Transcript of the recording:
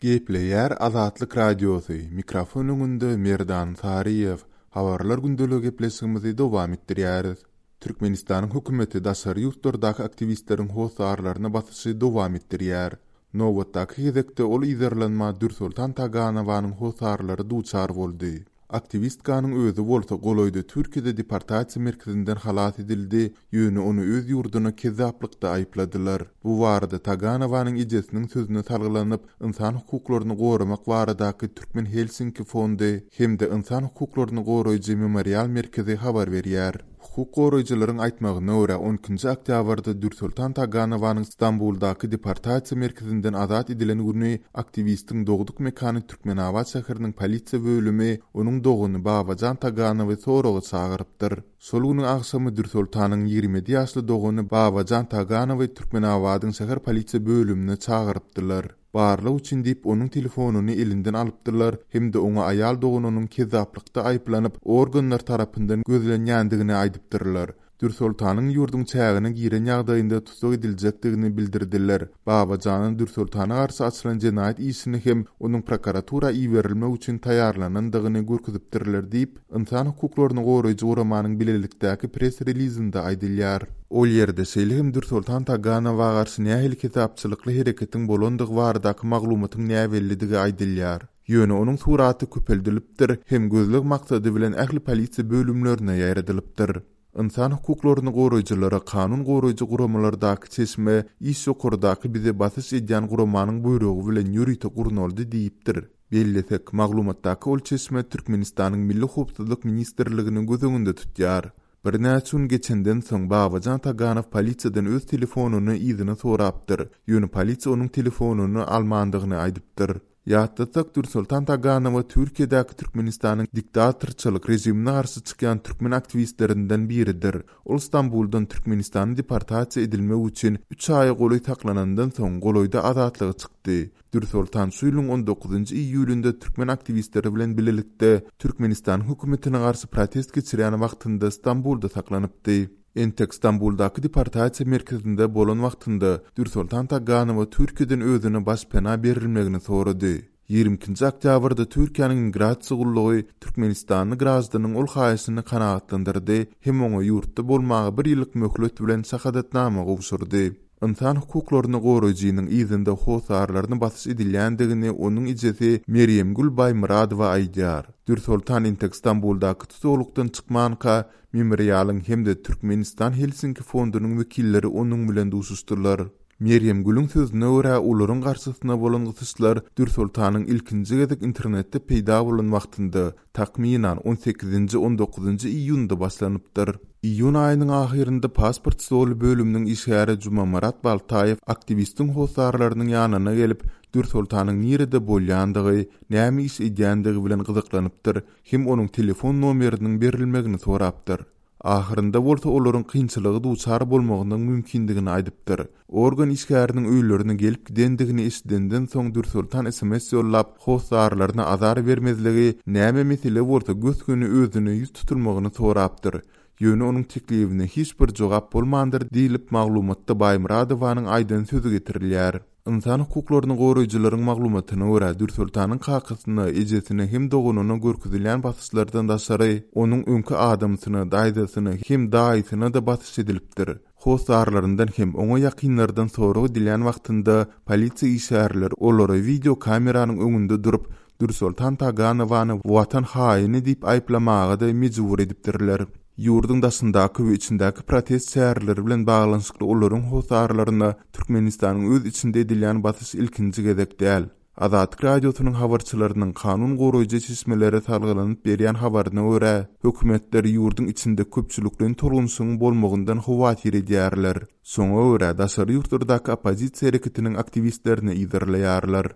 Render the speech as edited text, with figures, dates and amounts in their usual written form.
Gepleýär Azatlyk Radiosy, mikrofon öňünde Merdan Saryýew. Habarlar gündeligi gepleşigimizi dowam etdirýäris. Türkmenistanyň hökümeti daşary ýurtlardaky aktiwistleriň hossarlaryna basyşy dowam etdirýär. Nobatdaky gezekde ol yzarlanma Dürsoltan Taganowanyň hossarlary duçar boldy. Aktiwistkanyň özi bolsa golaýda Türkiýede deportasiýa merkezinden halas edildi, ýöne ony öz ýurduna kezzaplykda aýypladylar. Bu barada Taganowanyň ejesiniň sözüne salgylanyp, Ynsan hukuklaryny goramak baradaky Türkmen Helsinki fondy hem-de Ynsan hukuklaryny goraýjy Memorial merkezi habar berýär. Hukuk goraýjylaryň aýtmagyna görä, on ikinji oktýabrda Dürsoltan Taganowanyň Stambuldaky deportasiýa merkezinden azat edilen güni aktiwistiň dogduk mekany Türkmenabat şäheriniň polisiýa bölümi onuň dogany Babajan Taganowy soraga çagyrypdyr. Şol günüň agşamy Dürsoltanyň 27 ýaşly dogany Babajan Taganowy Türkmenabadyň şäher polisiýa bölümine çagyrypdylar. Barlag üçin diýip, onuň telefonyny elinden alypdyrlar hem-de oňa aýal doganynyň kezzaplykda aýyplanyp, organlar tarapyndan gözlenýändigini aýdypdyrlar. Dürsoltanyň ýurduň çägine giren ýagdaýynda tussag ediljekdigini bildirdiler. Babajana Dürsoltana garşy açylan jenaýat işini hem onuň prokuratura iberilmek üçin taýýarlanandygyny görkezipdirler diýip, Ynsan hukuklaryny goraýjy guramanyň bilelikdäki press-relizinde aýdylýar. Ol ýerde şeýle hem Dürsoltan Taganowa garşy nähili kezapçylykly hereketiň bolandygy baradaky maglumatyň näbellidigi aýdylýar. Ýöne onuň suraty köpeldilipdir hem gözleg maksady bilen ähli polisiýa bölümlerine ýaýradylypdyr. Ynsan hukuklaryny goraýjylara kanun goraýjy guramalardaky çeşme iş ýokardaky bize basyş edýän guramanyň buýrugy bilen ýörite gurnaldy diýipdir. Bellesek, maglumatdaky ol çeşme Türkmenistanyň Milli howpsuzlyk ministrligini göz öňünde tutýar. Birnäçe gün geçenden soň Babajan Taganow polisiýadan öz telefonyny yzyna sorapdyr, ýöne polisiýa onuň telefonyny almandygyny aýdypdyr. Ýatlatsak, Dürsoltan Taganowa Türkiýedäki Türkmenistanyň diktatorçylyk režimine garşy çykýan türkmen aktiwistlerinden biridir. Ol Stambuldan Türkmenistana deportasiýa edilmek üçin üç aýa golaý saklanandan soň golaýda azatlyga çykdy. Dürsoltan şu ýylyň on dokuzynjy iýulynda türkmen aktiwistleri bilen bilelikde Türkmenistanyň hökümetine garşy protest geçirýän wagtynda Stambulda saklanypdy. Entek Stambuldaky deportasiýa merkezinde bolan wagtynda Dürsoltan Taganowa Türkiýeden özüne başpena berilmegini sorady. Ýigrimi ikinji oktýabrda Türkiýäniň Migrasiýa gullugy türkmenistanly graždanyň ol haýyşyny kanagatlandyrdy hem oňa ýurtda bolmaga bir ýyllyk möhlet bilen şahadatnama gowşurdy. Ynsan hukuklaryny goraýjynyň yzynda hossarlaryna basyş edilýändigini onuň ejesi Merýemgül Baýmyradowa aýdýar. Dürsoltan entek Stambuldaky tusaglykdan çykmanka, Memorialyň hem-de Türkmenistan Helsinki fondunyň wekilleri onuň bilen duşuşdylar. Merýemgülüň sözüne görä, olaryň garşysyna bolan gysyşlar Dürsoltanyň ilkinji gezek internetde peýda bolan wagtynda, takmynan, on sekizinji, on dokuzynjy iýunda başlanypdyr. Iýun aýynyň ahyrynda pasport stoly bölüminiň işgäri Jumamyrat Baltaýew aktiwistiň hossarlarynyň ýanyna gelip, Dürsoltanyň nirede bolýandygy, näme iş edýändigi bilen gyzyklanypdyr hem onuň telefon nomeriniň berilmegini sorapdyr. Ahyrynda bolsa olaryň kynçylyga duçar bolmagynyň mümkindigini aýdypdyr. Organ işgäriniň öýlerine gelip gidendigini eşidenden soň Dürsoltan sms ýollap, hossarlaryna azar bermezligi, näme mesele bolsa gös-göni özüne ýüz tutulmagyny sorapdyr. Ýöne onuň teklibine hiç bir jogap bolmandyr diýlip, maglumatda Baýmyradowanyň aýdan sözi getirilýär. Ynsan hukuklaryny goraýjylaryň maglumatyna görä, Dürsoltanyň kakasyna, ejesine hem doganyna görkezilýän basyşlardan daşary, onuň öňki adamsyna, daýzasyna hem daýysyna-da basyş edilipdir. Hossarlaryndan hem oňa ýakynlardan sorag edilýän wagtynda polisiýa işgärleri olara wideo kameranyň öňünde durup, Dürsoltan Taganowany watan haýyny diýip aýyplamaga-da mejbur edipdirler. Ýurduň daşyndaky we içindäki protest çäreleri bilen baglanyşykly olaryň hossarlaryna Türkmenistanyň öz içinde edilýän basyş ilkinji gezek däl. Azatlyk Radiosynyň habarçylarynyň kanun goraýjy çeşmelere salgylanyp berýän habaryna görä, hökümetler ýurduň içinde köpçülikleýin tolgunyşygyň bolmagyndan howatyr edýärler. Şoňa görä, daşary ýurtlardaky oppozisiýa hereketiniň aktiwistlerini yzarlaýarlar.